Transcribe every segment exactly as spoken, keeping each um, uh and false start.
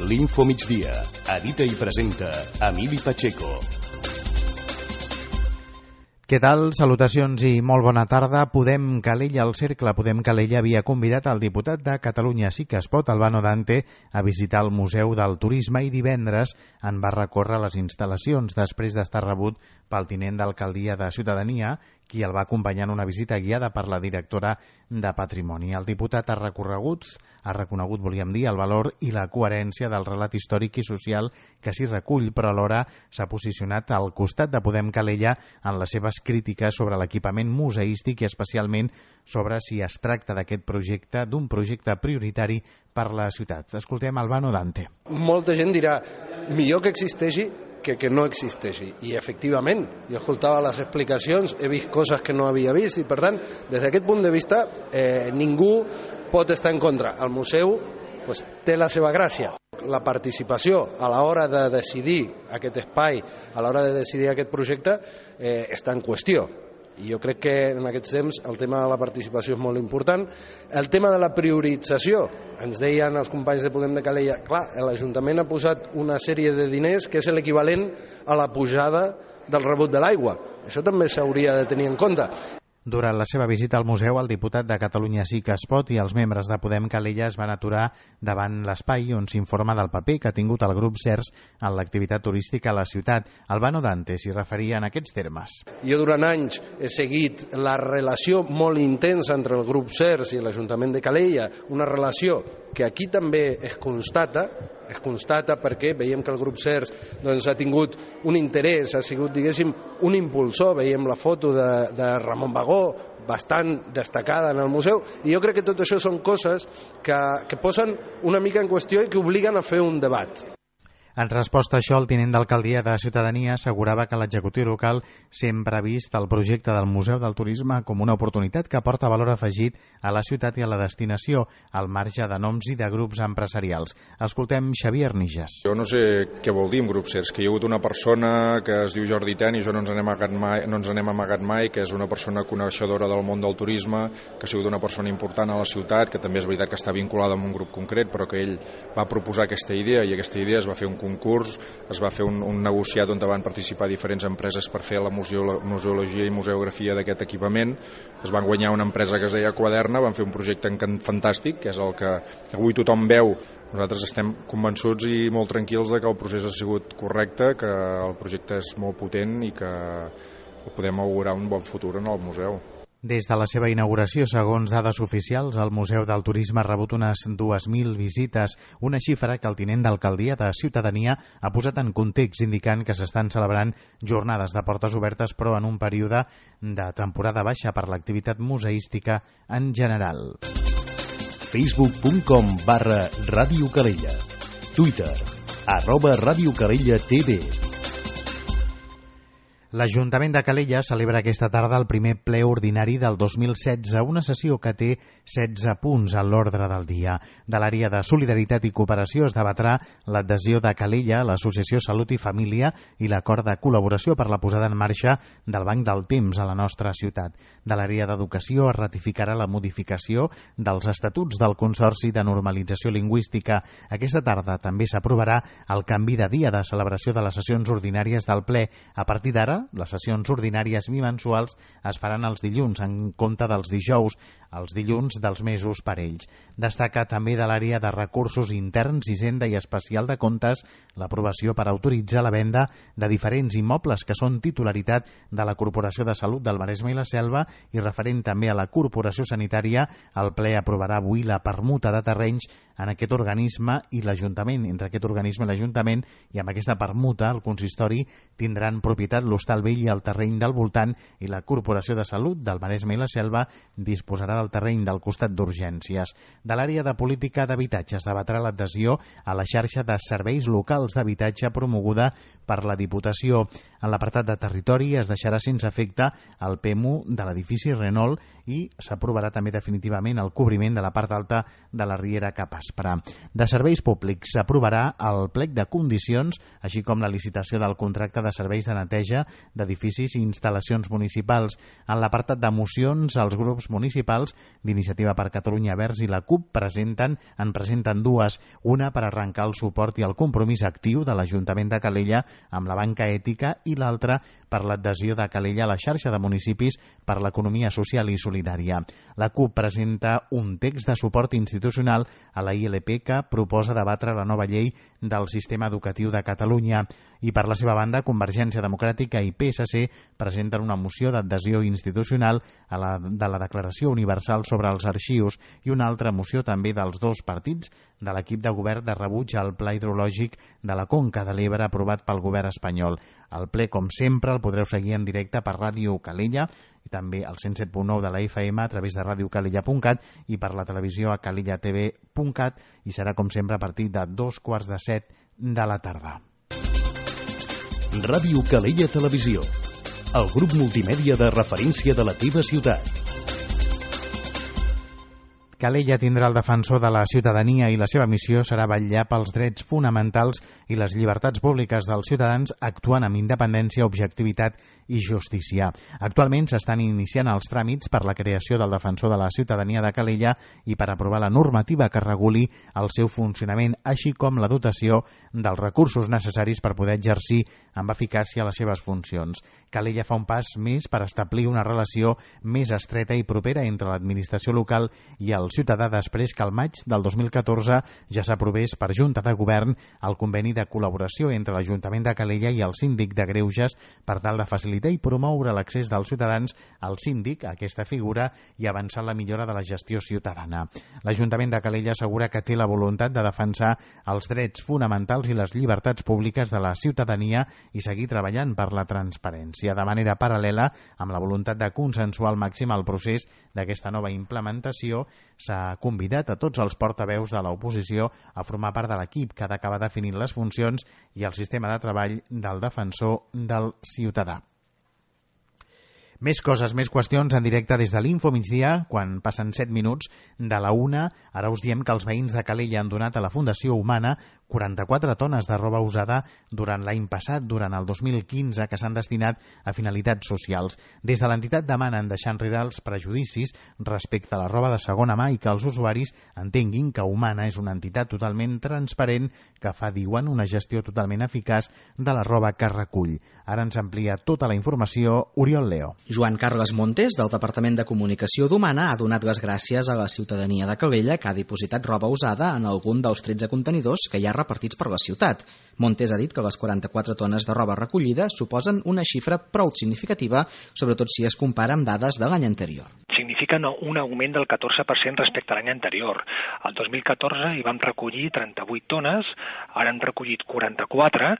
L'Info Migdia. Edita i presenta Emili Pacheco. Què tal? Salutacions i molt bona tarda. Podem Calella, el Cercle Podem Calella havia convidat el diputat de Catalunya Sí que es pot, Albano Dante, a visitar el Museu del Turisme i divendres en va recórrer les instal·lacions després d'estar rebut pel tinent d'alcaldia de Ciutadania, qui el va acompanyar en una visita guiada per la directora de Patrimoni. El diputat ha recorregut, ha reconegut, volíem dir, el valor i la coherència del relat històric i social que s'hi recull, però alhora s'ha posicionat al costat de Podem Calella en les seves crítiques sobre l'equipament museístic i especialment sobre si es tracta d'aquest projecte, d'un projecte prioritari per la ciutat. Escoltem Albano Dante. Molta gent dirà, millor que existeixi que que no existeixi. I efectivament, jo escoltava les explicacions, he vist coses que no havia vist i per tant, des d'aquest punt de vista, eh, ningú pot estar en contra. El museu pues, té la seva gràcia. La participació a l'hora de decidir aquest espai, a l'hora de decidir aquest projecte, eh, està en qüestió. I jo crec que en aquests temps el tema de la participació és molt important. El tema de la priorització, ens deien els companys de Podem de Calella, clar, l'Ajuntament ha posat una sèrie de diners que és l'equivalent a la pujada del rebut de l'aigua. Això també s'hauria de tenir en compte. Durant la seva visita al museu, el diputat de Catalunya Sí que es pot i els membres de Podem Calella es van aturar davant l'espai on s'informa del paper que ha tingut el grup CERS en l'activitat turística a la ciutat. Albano Dante s'hi referia en aquests termes. Jo durant anys he seguit la relació molt intensa entre el grup CERS i l'Ajuntament de Calella, una relació que aquí també es constata, es constata perquè veiem que el grup CERS doncs, ha tingut un interès, ha sigut, diguéssim, un impulsor. Veiem la foto de, de Ramon Bagó, bastant destacada en el museu, i jo crec que tot això són coses que, que posen una mica en qüestió i que obliguen a fer un debat. En resposta a això, el tinent d'alcaldia de Ciutadania assegurava que l'executiu local sempre ha vist el projecte del Museu del Turisme com una oportunitat que aporta valor afegit a la ciutat i a la destinació, al marge de noms i de grups empresarials. Escoltem Xavier Nijas. Jo no sé què vol dir un grup CERS, que hi ha hagut una persona que es diu Jordi Ten i això no ens n'hem amagat mai, no ens n'hem amagat mai, que és una persona coneixedora del món del turisme, que ha sigut una persona important a la ciutat, que també és veritat que està vinculada amb un grup concret, però que ell va proposar aquesta idea i aquesta idea es va fer un concurs, es va fer un, un negociat on van participar diferents empreses per fer la museologia i museografia d'aquest equipament. Es van guanyar una empresa que es deia Quaderna, van fer un projecte fantàstic, que és el que avui tothom veu. Nosaltres estem convençuts i molt tranquils de que el procés ha sigut correcte, que el projecte és molt potent i que podem augurar un bon futur en el museu. Des de la seva inauguració, segons dades oficials, el Museu del Turisme ha rebut unes dues mil visites, una xifra que el tinent d'alcaldia de Ciutadania ha posat en context, indicant que s'estan celebrant jornades de portes obertes, però en un període de temporada baixa per l'activitat museística en general. facebook punt com barra Ràdio Calella. Twitter, arroba Ràdio Calella T V. L'Ajuntament de Calella celebra aquesta tarda el primer ple ordinari del dos mil setze, una sessió que té setze punts a l'ordre del dia. De l'àrea de Solidaritat i Cooperació es debatrà l'adhesió de Calella a l'Associació Salut i Família i l'acord de col·laboració per la posada en marxa del Banc del Temps a la nostra ciutat. De l'àrea d'Educació es ratificarà la modificació dels estatuts del Consorci de Normalització Lingüística. Aquesta tarda també s'aprovarà el canvi de dia de celebració de les sessions ordinàries del ple. A partir d'ara, les sessions ordinàries bimensuals es faran els dilluns en compte dels dijous, els dilluns dels mesos parells. Destaca també de l'àrea de recursos interns, Hisenda i especial de comptes l'aprovació per autoritzar la venda de diferents immobles que són titularitat de la Corporació de Salut del Maresme i la Selva i referent també a la Corporació Sanitària. El ple aprovarà avui la permuta de terrenys en aquest organisme i l'Ajuntament, entre aquest organisme i l'Ajuntament, i amb aquesta permuta el consistori tindran propietat l'Hostal Vell i el terreny del voltant, i la Corporació de Salut del Maresme i la Selva disposarà del terreny del costat d'urgències. De l'àrea de política d'habitatge es debatrà l'adhesió a la xarxa de serveis locals d'habitatge promoguda per la Diputació. En l'apartat de territori es deixarà sense efecte el P M U de l'edifici Renault i s'aprovarà també definitivament el cobriment de la part alta de la riera cap Aspra. De serveis públics s'aprovarà el plec de condicions, així com la licitació del contracte de serveis de neteja d'edificis i instal·lacions municipals. En l'apartat de mocions, els grups municipals d'Iniciativa per Catalunya Verds i la CUP presenten, en presenten dues, una per arrencar el suport i el compromís actiu de l'Ajuntament de Calella amb la banca ètica i l'altra per l'adhesió de Calella a la xarxa de municipis per l'economia social i solidària. La CUP presenta un text de suport institucional a la I L P que proposa debatre la nova llei del sistema educatiu de Catalunya i per la seva banda Convergència Democràtica i P S C presenten una moció d'adhesió institucional a la, de la Declaració Universal sobre els Arxius i una altra moció també dels dos partits de l'equip de govern de rebuig al Pla Hidrològic de la Conca de l'Ebre aprovat pel govern espanyol. El ple, com sempre, el podreu seguir en directe per Ràdio Calella i també al cent set punt nou de la F M a través de radiocalella punt cat i per la televisió a calella t v punt cat i serà, com sempre, a partir de dos quarts de set de la tarda. Ràdio Calella Televisió, el grup multimèdia de referència de la teva ciutat. Calella tindrà el defensor de la ciutadania i la seva missió serà vetllar pels drets fonamentals i les llibertats públiques dels ciutadans actuant amb independència, objectivitat i justícia. Actualment s'estan iniciant els tràmits per la creació del defensor de la ciutadania de Calella i per aprovar la normativa que reguli el seu funcionament, així com la dotació dels recursos necessaris per poder exercir amb eficàcia les seves funcions. Calella fa un pas més per establir una relació més estreta i propera entre l'administració local i el ciutadà després que al maig del dos mil catorze ja s'aprovés per Junta de Govern el conveni de col·laboració entre l'Ajuntament de Calella i el síndic de Greuges per tal de facilitar i promoure l'accés dels ciutadans al síndic, a aquesta figura, i avançar en la millora de la gestió ciutadana. L'Ajuntament de Calella assegura que té la voluntat de defensar els drets fonamentals i les llibertats públiques de la ciutadania i seguir treballant per la transparència. De manera paral·lela, amb la voluntat de consensuar al màxim el procés d'aquesta nova implementació, s'ha convidat a tots els portaveus de l'oposició a formar part de l'equip que ha d'acabar definint les funcions i el sistema de treball del defensor del ciutadà. Més coses, més qüestions en directe des de l'Info migdia, quan passen set minuts de la una. Ara us diem que els veïns de Calella han donat a la Fundació Humana quaranta-quatre tones de roba usada durant l'any passat, durant el dos mil quinze, que s'han destinat a finalitats socials. Des de l'entitat demanen deixar enrere els prejudicis respecte a la roba de segona mà i que els usuaris entenguin que Humana és una entitat totalment transparent que fa, diuen, una gestió totalment eficaç de la roba que recull. Ara ens amplia tota la informació Oriol Leo. Joan Carles Montes, del Departament de Comunicació d'Humana, ha donat les gràcies a la ciutadania de Calella que ha dipositat roba usada en algun dels tretze contenidors que hi ha repartits per la ciutat. Montes ha dit que les quaranta-quatre tones de roba recollida suposen una xifra prou significativa, sobretot si es compara amb dades de l'any anterior. Significa un augment del catorze per cent respecte a l'any anterior. El dos mil catorze hi vam recollir trenta-vuit tones, ara hem recollit quaranta-quatre,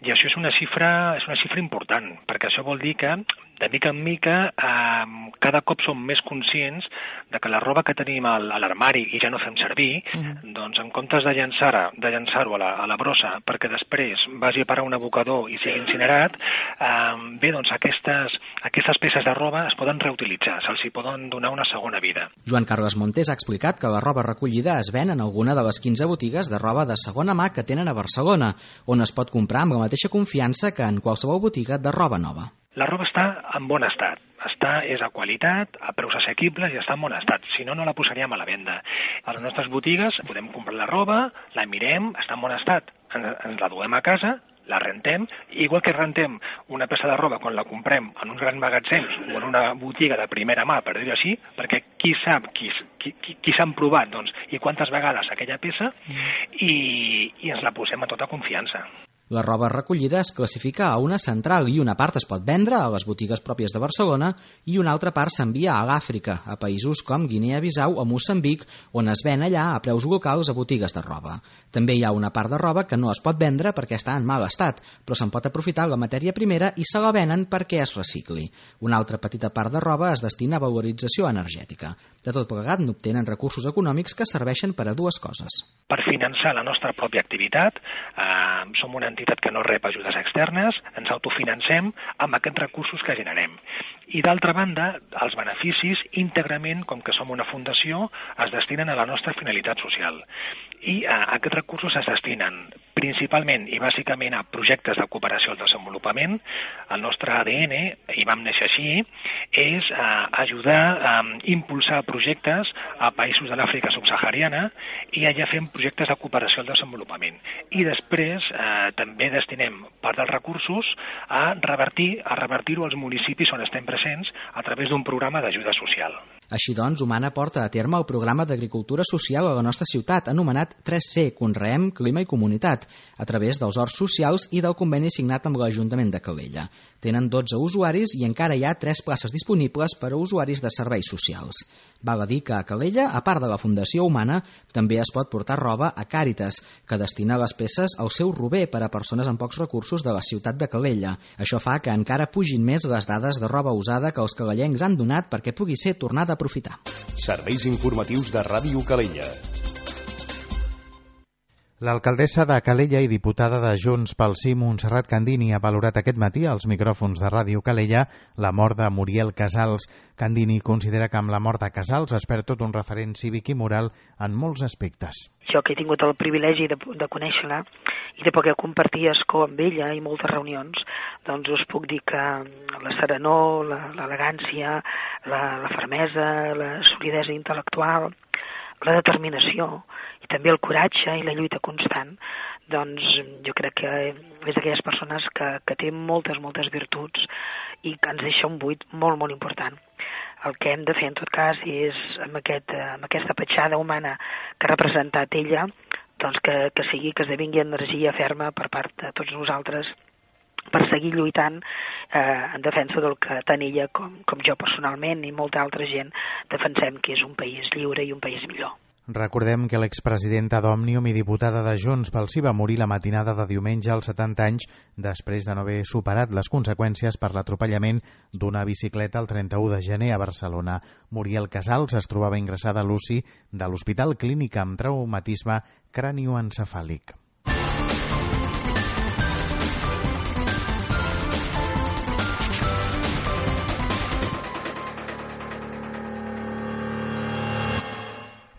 i això és una xifra, és una xifra important, perquè això vol dir que, de mica en mica, eh, cada cop som més conscients de que la roba que tenim a l'armari i ja no fem servir, uh-huh. doncs en comptes de llançar-ho de llançar a, la, a la brossa perquè després vagi a parar un abocador i sigui incinerat, eh, bé, doncs aquestes, aquestes peces de roba es poden reutilitzar, se'ls hi poden donar una segona vida. Joan Carles Montes ha explicat que la roba recollida es ven en alguna de les quinze botigues de roba de segona mà que tenen a Barcelona, on es pot comprar amb la mateixa confiança que en qualsevol botiga de roba nova. La roba està en bon estat, està, és a qualitat, a preus assequibles i està en bon estat, si no, no la posaríem a la venda. A les nostres botigues podem comprar la roba, la mirem, està en bon estat, ens, ens la duem a casa, la rentem, igual que rentem una peça de roba quan la comprem en uns grans magatzems o en una botiga de primera mà, per dir-ho així, perquè qui sap, qui, qui, qui, qui s'han provat, doncs, i quantes vegades aquella peça, i, i ens la posem a tota confiança. La roba recollida es classifica a una central i una part es pot vendre a les botigues pròpies de Barcelona i una altra part s'envia a l'Àfrica, a països com Guinea-Bissau o Moçambic, on es ven allà a preus locals a botigues de roba. També hi ha una part de roba que no es pot vendre perquè està en mal estat, però se'n pot aprofitar la matèria primera i se la venen perquè es recicli. Una altra petita part de roba es destina a valorització energètica. De tot plegat n'obtenen recursos econòmics que serveixen per a dues coses. Per finançar la nostra pròpia activitat, eh, som una entitat que no rep ajudes externes, ens autofinancem amb aquests recursos que generem. I d'altra banda, els beneficis íntegrament, com que som una fundació, es destinen a la nostra finalitat social. I eh, aquests recursos es destinen principalment i bàsicament a projectes de cooperació al desenvolupament. El nostre A D N, i vam néixer així, és eh, ajudar a eh, impulsar projectes a països de l'Àfrica subsahariana i allà fem projectes de cooperació al desenvolupament. I després eh, també destinem part dels recursos a revertir a revertir-ho als municipis on estem presents a través d'un programa d'ajuda social. Així doncs, Humana porta a terme el programa d'agricultura social a la nostra ciutat, anomenat tres C, Conreem, Clima i Comunitat, a través dels horts socials i del conveni signat amb l'Ajuntament de Calella. Tenen dotze usuaris i encara hi ha tres places disponibles per a usuaris de serveis socials. Val a dir que a Calella, a part de la Fundació Humana, també es pot portar roba a Càritas, que destina les peces al seu rober per a persones amb pocs recursos de la ciutat de Calella. Això fa que encara pugin més les dades de roba usada que els calellencs han donat perquè pugui ser tornada a aprofitar. Serveis informatius de Ràdio Calella. L'alcaldessa de Calella i diputada de Junts pel Sí, Montserrat Candini, ha valorat aquest matí als micròfons de Ràdio Calella la mort de Muriel Casals. Candini considera que amb la mort de Casals es perd tot un referent cívic i moral en molts aspectes. Jo que he tingut el privilegi de, de conèixer-la i de poder compartir escó amb ella i moltes reunions, doncs us puc dir que la serenor, l'elegància, la, la fermesa, la solidesa intel·lectual, la determinació i també el coratge i la lluita constant, doncs jo crec que és d'aquelles persones que, que té moltes, moltes virtuts i que ens deixa un buit molt, molt important. El que hem de fer en tot cas és amb, aquest, amb aquesta petjada humana que ha representat ella, doncs que, que sigui, que esdevingui energia ferma per part de tots nosaltres per seguir lluitant eh, en defensa del que tant ella com, com jo personalment i molta altra gent defensem, que és un país lliure i un país millor. Recordem que l'expresidenta d'Òmnium i diputada de Junts pel Sí va morir la matinada de diumenge als setanta anys després de no haver superat les conseqüències per l'atropellament d'una bicicleta el trenta-u de gener a Barcelona. Muriel Casals es trobava ingressada a l'U C I de l'Hospital Clínic amb traumatisme cranioencefàlic.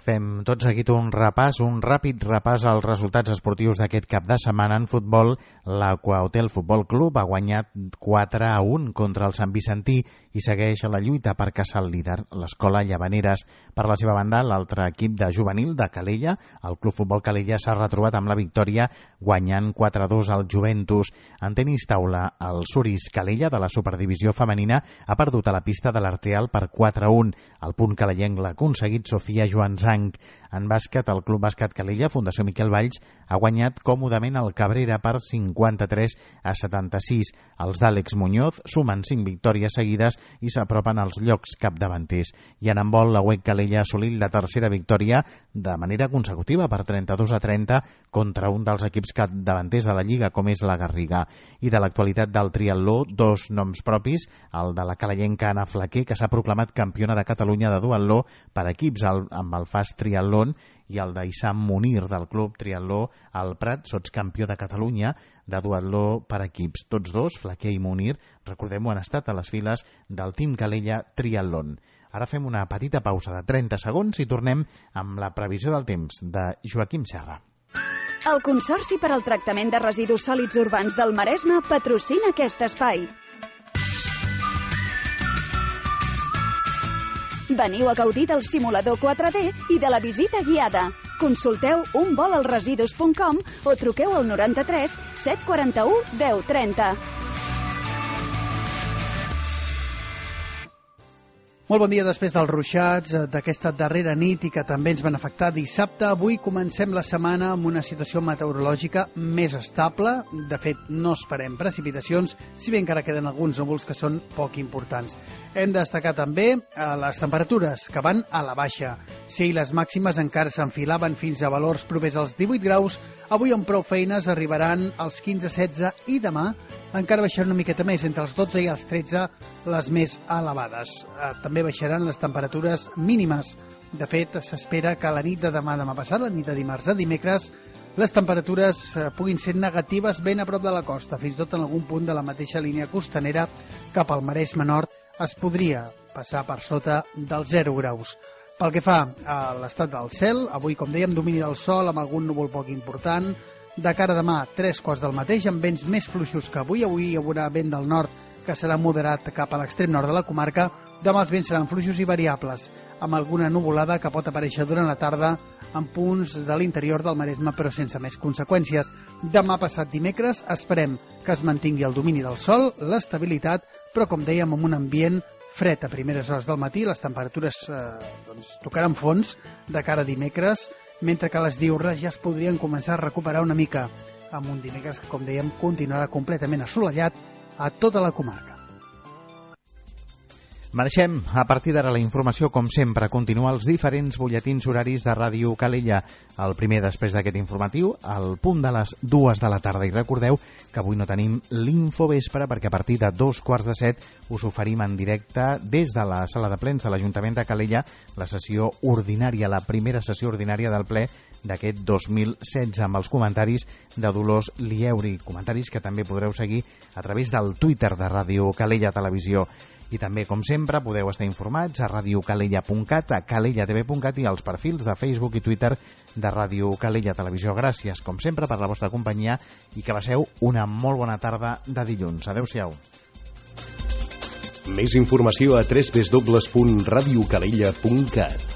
Fem tot seguit un repàs, un ràpid repàs als resultats esportius d'aquest cap de setmana en futbol. L'Aqua-Hotel Futbol Club ha guanyat quatre a un contra el Sant Vicentí i segueix a la lluita per caçar el líder, l'Escola Llavaneres. Per la seva banda, l'altre equip de juvenil de Calella, el Club Futbol Calella, s'ha retrobat amb la victòria guanyant quatre a dos al Juventus. En tenis taula, el Suris Calella de la Superdivisió femenina ha perdut a la pista de l'Arteal per quatre a un. El punt calellenc l'ha aconseguit Sofia Joanzang. En bàsquet, el Club Bàsquet Calella, Fundació Miquel Valls, ha guanyat còmodament el Cabrera per cinquanta-tres a setanta-sis. Els d'Àlex Muñoz sumen cinc victòries seguides i s'apropen als llocs capdavanters. I en handbol, la U E C Calella ha assolit la tercera victòria de manera consecutiva per trenta-dos a trenta contra un dels equips capdavanters de la Lliga, com és la Garriga. I de l'actualitat del triatló, dos noms propis, el de la calellenca Anna Flaquer, que s'ha proclamat campiona de Catalunya de duatló per equips amb el Fast Triatlón, i el d'Issam Munir del Club Triatló al Prat, sotscampió de Catalunya de duatló per equips. Tots dos, Flaquer i Munir, recordem-ho, han estat a les files del Team Calella Triatlón. Ara fem una petita pausa de trenta segons i tornem amb la previsió del temps de Joaquim Serra. El Consorci per al Tractament de Residus Sòlids Urbans del Maresme patrocina aquest espai. Veniu a gaudir del simulador quatre D i de la visita guiada. Consulteu un vol als residus punt com o truqueu al noranta-tres set quaranta-u deu trenta. Molt bon dia després dels ruixats d'aquesta darrera nit i que també ens van afectar dissabte. Avui comencem la setmana amb una situació meteorològica més estable. De fet, no esperem precipitacions, si bé encara queden alguns núvols que són poc importants. Hem de destacar també les temperatures, que van a la baixa. Si les màximes encara s'enfilaven fins a valors propers als divuit graus, avui amb prou feines arribaran als quinze a setze i demà encara baixaran una miqueta més, entre els dotze i els tretze, les més elevades. També baixaran les temperatures mínimes. De fet, s'espera que la nit de demà demà passat, la nit de dimarts a dimecres, les temperatures puguin ser negatives ben a prop de la costa, fins i tot en algun punt de la mateixa línia costanera cap al Maresme Nord es podria passar per sota dels zero graus. Pel que fa a l'estat del cel, avui, com dèiem, domini del sol amb algun núvol poc important. De cara a demà, tres quarts del mateix, amb vents més fluixos que avui. Avui hi haurà vent del nord que serà moderat cap a l'extrem nord de la comarca. Demà els vents seran fluixos i variables, amb alguna nuvolada que pot aparèixer durant la tarda en punts de l'interior del Maresme, però sense més conseqüències. Demà passat dimecres esperem que es mantingui el domini del sol, l'estabilitat, però com dèiem, amb un ambient fred a primeres hores del matí. Les temperatures eh, doncs, tocaran fons de cara a dimecres, mentre que les diürnes ja es podrien començar a recuperar una mica, amb un dimecres que, com dèiem, continuarà completament assolellat a tota la comarca. Mereixem, a partir d'ara, la informació, com sempre, continua els diferents butlletins horaris de Ràdio Calella. El primer, després d'aquest informatiu, al punt de les dues de la tarda. I recordeu que avui no tenim l'Infovespre, perquè a partir de dos quarts de set us oferim en directe des de la sala de plens de l'Ajuntament de Calella la sessió ordinària, la primera sessió ordinària del ple d'aquest dos mil setze, amb els comentaris de Dolors Lieuri, comentaris que també podreu seguir a través del Twitter de Ràdio Calella Televisió. I també, com sempre, podeu estar informats a radiocalella punt cat, a calella t v punt cat i als perfils de Facebook i Twitter de Ràdio Calella Televisió. Gràcies, com sempre, per la vostra companyia i que passeu una molt bona tarda de dilluns. Adéu-siau. Més informació a w w w punt radiocalella punt cat.